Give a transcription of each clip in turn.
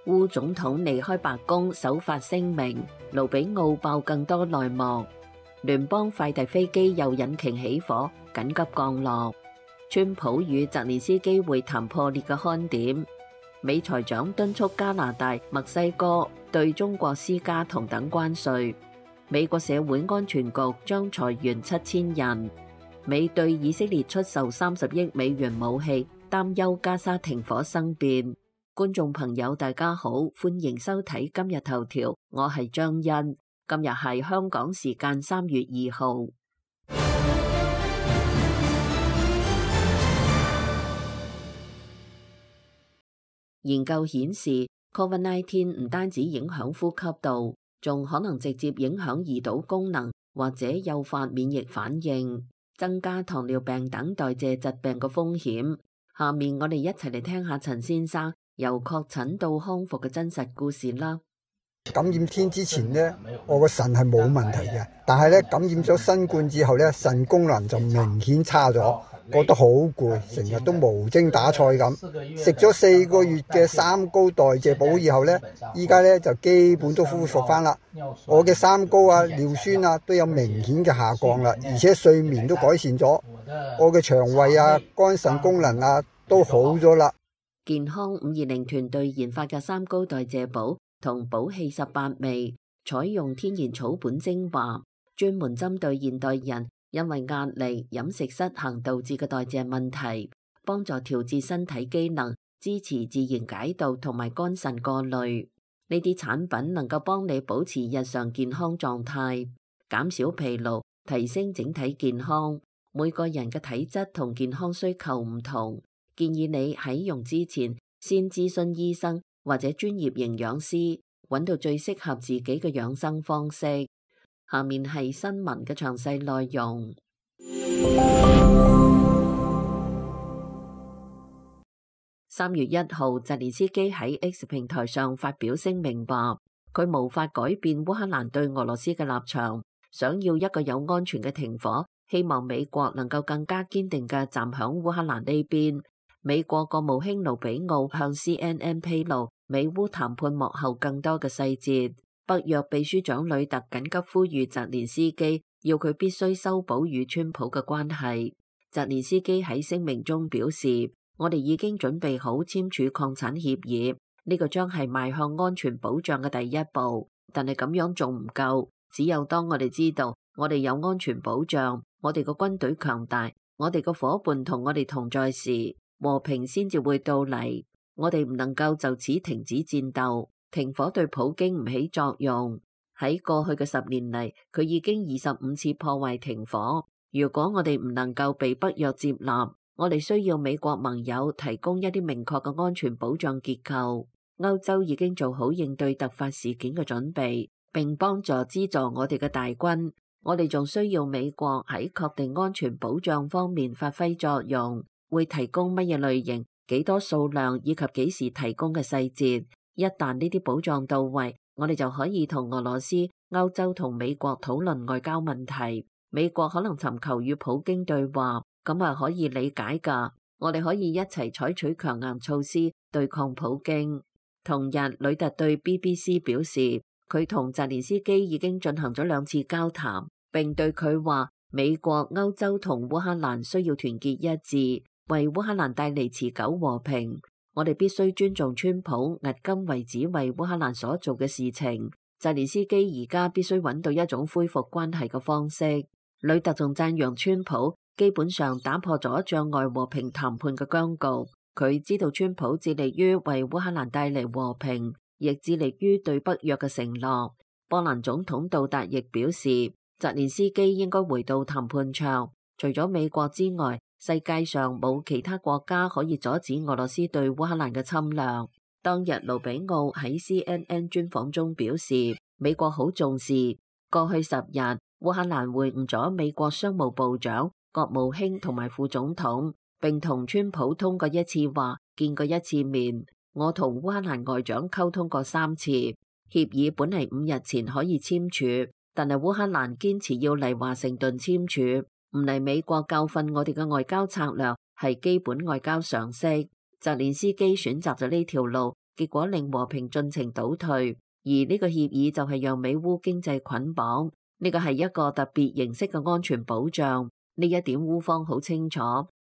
烏總統離開白宮首發聲明，盧比奧爆更多內幕。聯邦快遞飛機右引擎起火，緊急降落。川普與澤連斯基會談破裂嘅看點。美財長敦促加拿大、墨西哥對中國施加同等關稅。美國社會安全局將裁員7000人。美對以色列出售30億美元武器，擔憂加沙停火生變。觀眾朋友大家好，歡迎收睇今日頭條，我係張欣。今日係香港時間3月2號。研究顯示 ，COVID-19 唔單止影響呼吸道，仲可能直接影響胰島功能，或者誘發免疫反應，增加糖尿病等代謝疾病嘅風險。下面我哋一齊嚟聽下陳先生由確診到康復嘅真實故事啦。感染天之前呢，我個腎係冇問題嘅，但係咧感染咗新冠之後咧，腎功能就明顯差咗，覺得好攰，成日都無精打采咁。食咗4個月嘅三高代謝補以後咧，依家咧就基本都恢復翻啦。我嘅三高啊、尿酸啊都有明顯嘅下降啦，而且睡眠都改善咗。我嘅腸胃啊、肝腎功能啊都好咗啦。健康520團隊研發嘅三高代謝補同補氣18味，採用天然草本精華，專門針對現代人因為壓力、飲食失衡導致嘅代謝問題，幫助調節身體機能，支持自然解毒同埋肝腎過濾。呢啲產品能夠幫你保持日常健康狀態，減少疲勞，提升整體健康。每個人嘅體質同健康需求唔同，建議你喺用之前先諮詢醫生或者專業營養師，揾到最適合自己嘅養生方式。下面係新聞嘅詳細內容。3月1號，澤連斯基喺 X 平台上發表聲明話，佢無法改變烏克蘭對俄羅斯嘅立場，想要一個有安全嘅停火，希望美國能夠更加堅定嘅站響烏克蘭呢邊。美國國務卿盧比奧向 CNN 披露美烏談判幕後更多嘅細節。北約秘書長呂特緊急呼籲澤連斯基，要佢必須修補與川普嘅關係。澤連斯基喺聲明中表示，我哋已經準備好簽署擴產協議，呢個將係邁向安全保障嘅第一步。但係咁樣仲唔夠，只有當我哋知道我哋有安全保障，我哋個軍隊強大，我哋個夥伴同我哋同在時，和平先至會到嚟。我哋唔能夠就此停止戰鬥。停火對普京唔起作用。喺過去嘅10年嚟，佢已經25次破壞停火。如果我哋唔能夠被北約接納，我哋需要美國盟友提供一啲明確嘅安全保障結構。歐洲已經做好應對突發事件嘅準備，並幫助資助我哋嘅大軍。我哋仲需要美國喺確定安全保障方面發揮作用，會提供乜嘢類型、幾多數量以及幾時提供嘅細節。一旦呢啲保障到位，我哋就可以同俄羅斯、歐洲同美國討論外交問題。美國可能尋求與普京對話，咁係可以理解㗎。我哋可以一齊採取強硬措施對抗普京。同日，呂特對 BBC 表示，佢同澤連斯基已經進行咗2次交談，並對佢話，美國、歐洲同烏克蘭需要團結一致，為烏克蘭帶嚟持久和平。我哋必須尊重川普迄今為止為烏克蘭所做嘅事情。澤連斯基而家必須揾到一種恢復關係嘅方式。呂特仲讚揚川普基本上打破咗障礙和平談判嘅僵局。佢知道川普致力於為烏克蘭帶嚟和平，亦致力於對北約嘅承諾。波蘭總統杜達亦表示，澤連斯基應該回到談判桌。除咗美國之外，世界上冇其他國家可以阻止俄羅斯對烏克蘭嘅侵略。當日盧比奧喺 CNN 專訪中表示，美國好重視。過去10日，烏克蘭會晤咗美國商務部長、國務卿同埋副總統，並同川普通過1次話，見過1次面。我同烏克蘭外長溝通過3次。協議本嚟5日前可以簽署，但係烏克蘭堅持要嚟華盛頓簽署。唔嚟美國教訓我哋嘅外交策略係基本外交常識。澤連斯基選擇咗呢條路，結果令和平進程倒退。而呢個協議就係讓美烏經濟捆綁，呢個係一個特別形式嘅安全保障。呢一點烏方好清楚。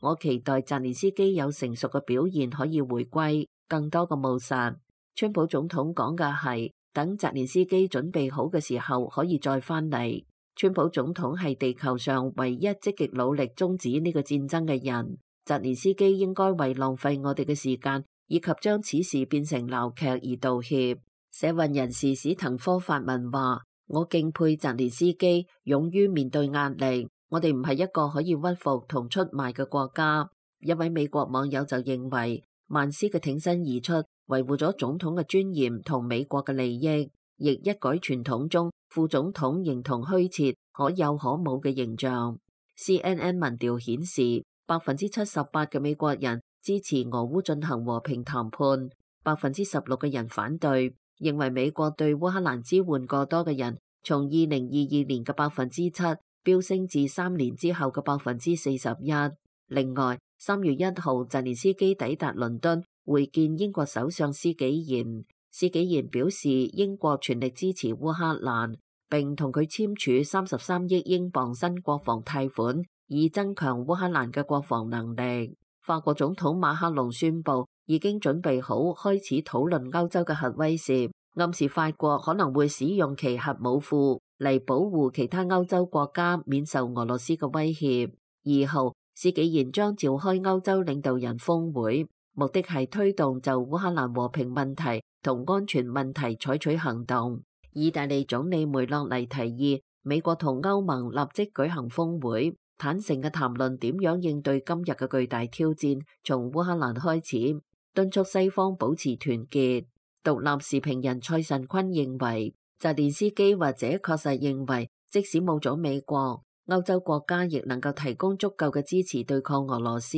我期待澤連斯基有成熟嘅表現可以回歸，更多嘅務實。川普總統講嘅係等澤連斯基準備好嘅時候可以再返嚟。川普總統係地球上唯一積極努力終止呢個戰爭嘅人。澤連斯基應該為浪費我哋嘅時間以及將此事變成鬧劇而道歉。社運人士史滕科發文話：我敬佩澤連斯基勇於面對壓力。我哋唔係一個可以屈服同出賣嘅國家。一位美國網友就認為，曼斯嘅挺身而出，維護咗總統嘅尊嚴同美國嘅利益，亦一改傳統中副總統形同虛設、可有可無嘅形象。CNN 民調顯示，78%嘅美國人支持俄烏進行和平談判，16%嘅人反對，認為美國對烏克蘭支援過多嘅人，從2022年嘅7%飆升至3年之後嘅41%。另外，3月1號，澤連斯基抵達倫敦會見英國首相施紀賢。施紀賢表示，英國全力支持烏克蘭，並同佢簽署33億英鎊新國防貸款，以增強烏克蘭嘅國防能力。法國總統馬克龍宣布已經準備好開始討論歐洲嘅核威懾，暗示法國可能會使用其核武庫嚟保護其他歐洲國家免受俄羅斯嘅威脅。2號，施紀賢將召開歐洲領導人峰會，目的係推動就烏克蘭和平問題同安全問題採取行動。意大利總理梅洛尼提議美國同歐盟立即舉行峰會，坦誠嘅談論點樣應對今日嘅巨大挑戰，從烏克蘭開始，敦促西方保持團結。獨立時評人蔡慎坤認為，澤連斯基或者確實認為，即使冇咗美國，歐洲國家亦能夠提供足夠嘅支持對抗俄羅斯。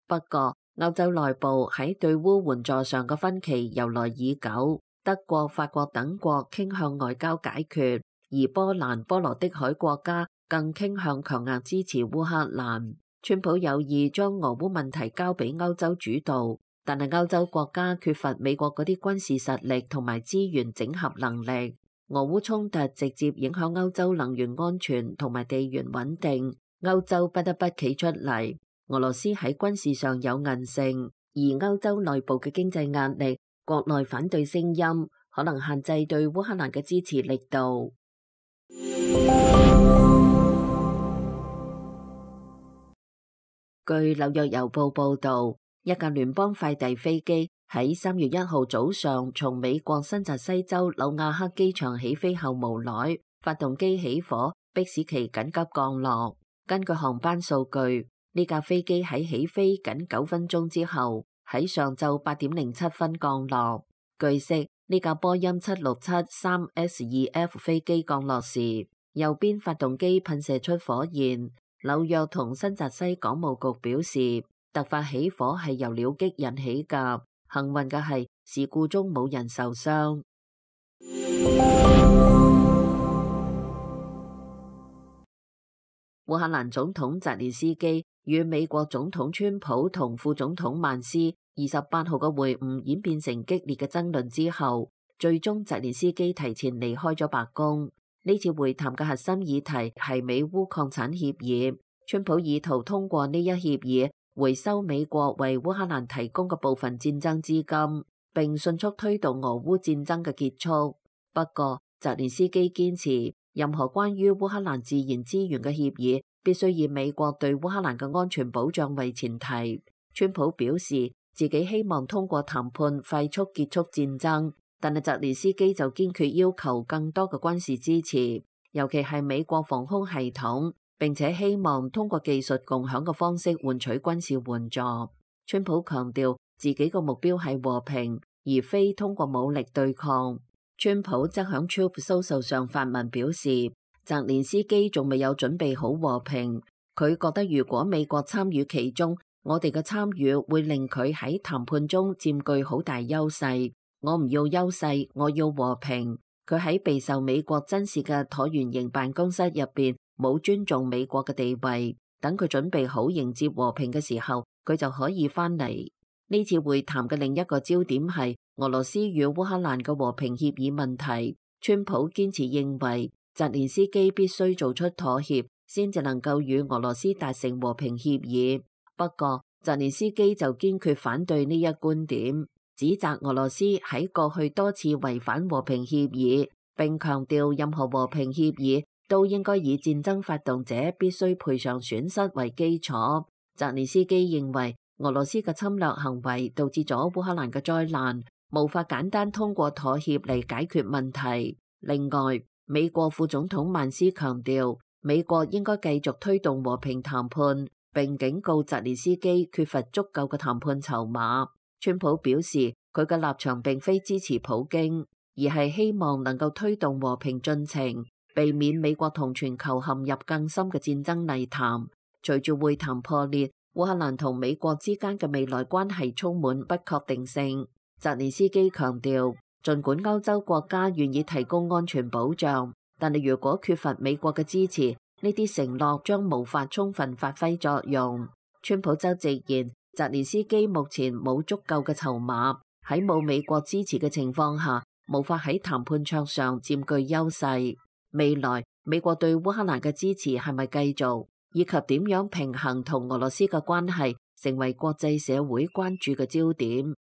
不過，歐洲內部喺對烏援助上嘅分歧由來已久，德國、法國等國傾向外交解決，而波蘭、波羅的海國家更傾向強硬支持烏克蘭。川普有意將俄烏問題交俾歐洲主導，但係歐洲國家缺乏美國嗰啲軍事實力同埋資源整合能力。俄烏衝突直接影響歐洲能源安全同埋地緣穩定，歐洲不得不企出嚟。俄羅斯喺軍事上有韌性，而歐洲內部嘅經濟壓力、國內反對聲音，可能限制對烏克蘭嘅支持力度。據紐約郵報報導，一架聯邦快遞飛機喺3月1號早上從美國新澤西州紐亞克機場起飛後無奈發動機起火，迫使其緊急降落。根據航班數據，呢架飛機喺起飛僅9分鐘之後，喺上晝8點07分降落。據悉，呢架波音767-3S2F 飛機降落時，右邊發動機噴射出火焰。紐約同新澤西港務局表示，突發起火係由僚機引起㗎。幸運嘅係，事故中冇人受傷。烏克蘭總統澤連斯基與美國總統川普同副總統曼斯28號嘅會晤演變成激烈嘅爭論之後，最終澤連斯基提前離開咗白宮。呢次會談嘅核心議題係美烏礦產協議，川普意圖通過呢一協議回收美國為烏克蘭提供嘅部分戰爭資金，並迅速推動俄烏戰爭嘅結束。不過，澤連斯基堅持任何關於烏克蘭自然資源嘅協議必須以美國對烏克蘭嘅安全保障為前提。川普表示自己希望通過談判快速結束戰爭，但係澤連斯基就堅決要求更多嘅軍事支持，尤其係美國防空系統，並且希望通過技術共享嘅方式換取軍事援助。川普強調自己個目標係和平，而非通過武力對抗。川普則喺 Truth Social 上發文表示，澤連斯基仲未有準備好和平。佢覺得如果美國參與其中，我哋嘅參與會令佢喺談判中佔據好大優勢。我唔要優勢，我要和平。佢喺備受美國珍視嘅橢圓形辦公室入邊冇尊重美國嘅地位。等佢準備好迎接和平嘅時候，佢就可以翻嚟。呢次會談嘅另一個焦點係俄羅斯與烏克蘭嘅和平協議問題，川普堅持認為澤連斯基必須做出妥協，先至能夠與俄羅斯達成和平協議。不過，澤連斯基就堅決反對呢一觀點，指責俄羅斯喺過去多次違反和平協議，並強調任何和平協議都應該以戰爭發動者必須賠償損失為基礎。澤連斯基認為俄羅斯嘅侵略行為導致咗烏克蘭嘅災難，無法簡單通過妥協嚟解決問題。另外，美國副總統曼斯強調，美國應該繼續推動和平談判，並警告澤連斯基缺乏足夠嘅談判籌碼。川普表示，佢嘅立場並非支持普京，而係希望能夠推動和平進程，避免美國同全球陷入更深嘅戰爭泥潭。隨住會談破裂，烏克蘭同美國之間嘅未來關係充滿不確定性。澤連斯基強調，儘管歐洲國家願意提供安全保障，但係如果缺乏美國嘅支持，呢啲承諾將無法充分發揮作用。川普就直言，澤連斯基目前冇足夠嘅籌碼，喺冇美國支持嘅情況下，無法喺談判桌上佔據優勢。未來美國對烏克蘭嘅支持係咪繼續，以及點樣平衡同俄羅斯嘅關係，成為國際社會關注嘅焦點。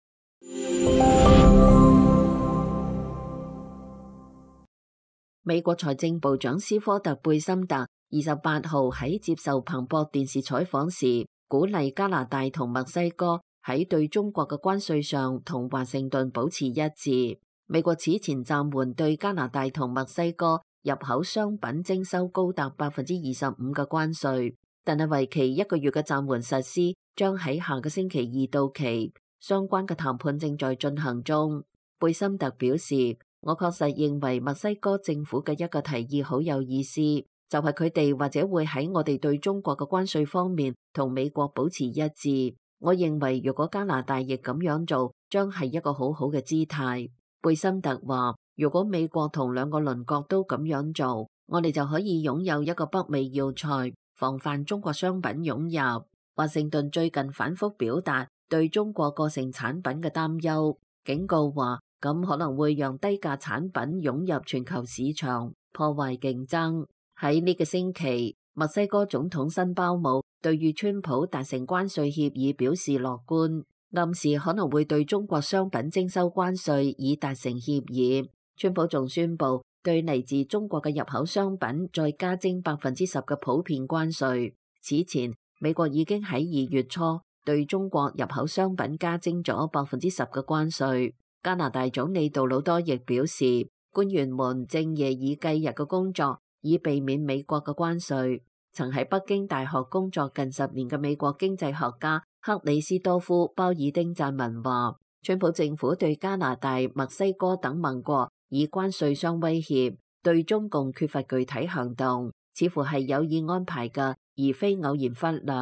美國財政部長斯科特貝森特28號喺接受彭博電視採訪時，鼓勵加拿大同墨西哥喺對中國嘅關稅上同華盛頓保持一致。美國此前暫緩對加拿大同墨西哥入口商品徵收高達25%嘅關稅，但係為期1個月嘅暫緩實施將喺下個星期2到期，相關嘅談判正在進行中。貝森特表示，我確實認為墨西哥政府嘅一個提議好有意思，就係佢哋或者會喺我哋對中國嘅關稅方面同美國保持一致。我認為如果加拿大亦咁樣做，將係一個好好嘅姿態。貝森特話，如果美國同兩個鄰國都咁樣做，我哋就可以擁有一個北美要塞，防範中國商品湧入。華盛頓最近反覆表達對中國過剩產品嘅擔憂，警告話咁可能會讓低價產品湧入全球市場，破壞競爭。喺呢個星期，墨西哥總統辛鮑姆對與川普達成關稅協議表示樂觀，暗示可能會對中國商品徵收關稅以達成協議。川普仲宣布對嚟自中國嘅入口商品再加徵10%嘅普遍關稅。此前，美國已經喺2月初對中國入口商品加徵咗10%嘅關稅。加拿大總理杜魯多亦表示，官員們正夜以繼日嘅工作，以避免美國嘅關稅。曾喺北京大學工作近10年嘅美國經濟學家克里斯多夫鮑爾丁撰文話，川普政府對加拿大、墨西哥等盟國以關稅相威脅，對中共缺乏具體行動，似乎係有意安排嘅，而非偶然忽略。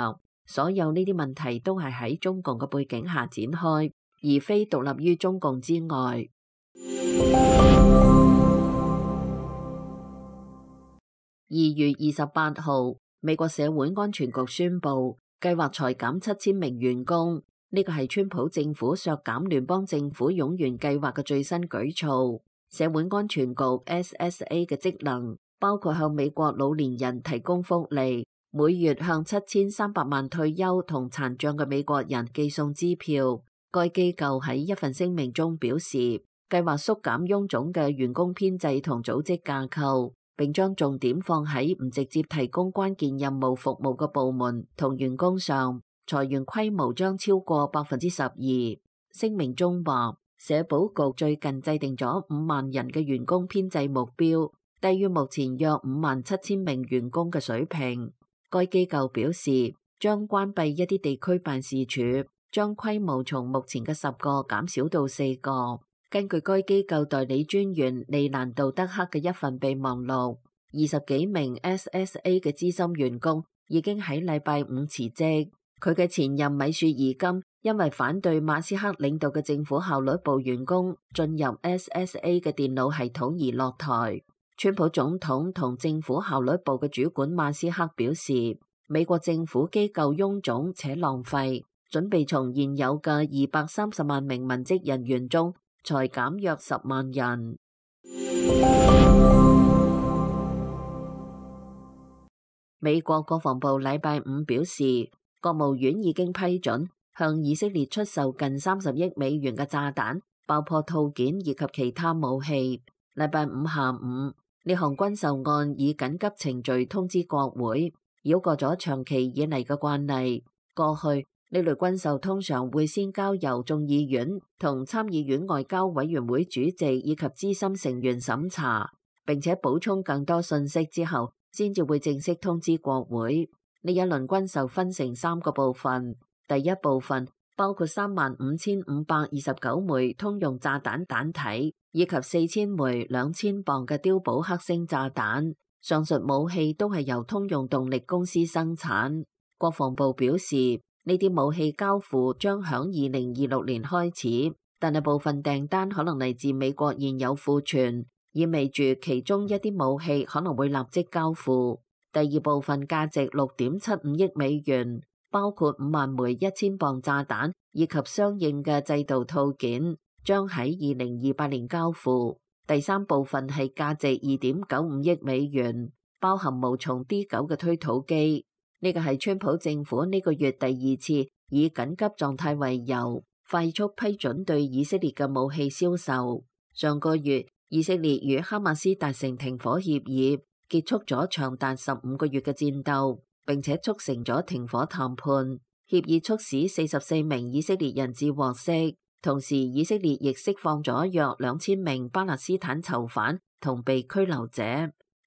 所有呢啲問題都係喺中共嘅背景下展開，而非獨立於中共之外。2月28號，美國社會安全局宣布計劃裁減7000名員工，呢個係川普政府削減聯邦政府冗員計劃嘅最新舉措。社會安全局 SSA 嘅職能包括向美國老年人提供福利，每月向7300萬退休同殘障嘅美國人寄送支票。該機構喺一份聲明中表示，計劃縮減臃腫嘅員工編制同組織架構，並將重點放喺唔直接提供關鍵任務服務嘅部門同員工上，裁員規模將超過12%。聲明中話，社保局最近制定咗5萬人嘅員工編制目標，低於目前約57000名員工嘅水平。該機構表示，將關閉一啲地區辦事處，將規模從目前嘅10個減少到4個。根據該機構代理專員利蘭道德克嘅一份備忘錄，20幾名 SSA 嘅資深員工已經喺禮拜五辭職。佢嘅前任米雪兒金因為反對馬斯克領導嘅政府效率部員工進入 SSA 嘅電腦系統而落台。川普總統同政府效率部嘅主管馬斯克表示，美國政府機構臃腫且浪費，準備從現有嘅230萬名文職人員中才減約10萬人。美國國防部禮拜五表示，國務院已經批准向以色列出售近30億美元嘅炸彈、爆破套件以及其他武器。禮拜五下午，呢項軍售案以緊急程序通知國會，繞過咗長期以嚟嘅慣例。過去呢類軍售通常會先交由眾議院同參議院外交委員會主席以及資深成員審查，並且補充更多信息之後，先至會正式通知國會。呢一輪軍售分成3個部分，第一部分包括35,529枚通用炸彈彈體，以及4000枚2000磅嘅碉堡克星炸彈。上述武器都係由通用動力公司生產。國防部表示，呢啲武器交付將響2026年開始，但係部分訂單可能嚟自美國現有庫存，意味住其中一啲武器可能會立即交付。第二部分價值6.75億美元，包括5萬枚1000磅炸彈以及相應嘅制導套件，將喺2028年交付。第三部分係價值2.95億美元，包含無從 D9 嘅推土機。呢個係川普政府呢個月第2次以緊急狀態為由，快速批准對以色列嘅武器銷售。上個月，以色列與哈馬斯達成停火協議，結束咗長達15個月嘅戰鬥，並且促成咗停火談判。協議促使44名以色列人質獲釋，同時以色列亦釋放咗約2000名巴勒斯坦囚犯同被拘留者。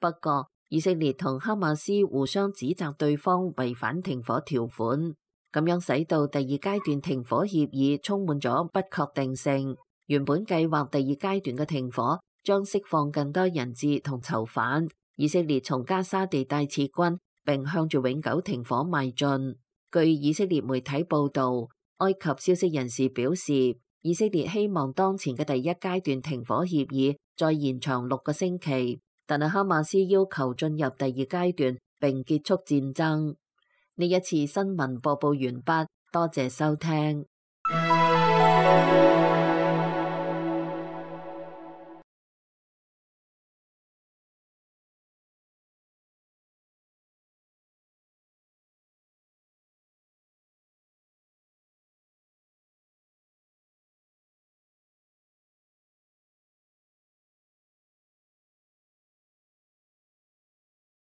不過，以色列同哈馬斯互相指責對方違反停火條款，咁樣使到第2階段停火協議充滿咗不確定性。原本計劃第2階段嘅停火將釋放更多人質同囚犯，以色列從加沙地帶撤軍，並向住永久停火邁進。據以色列媒體報導，埃及消息人士表示，以色列希望當前嘅第1階段停火協議再延長6個星期，但係哈馬斯要求進入第2階段並結束戰爭。呢一次新聞播報完畢，多謝收聽。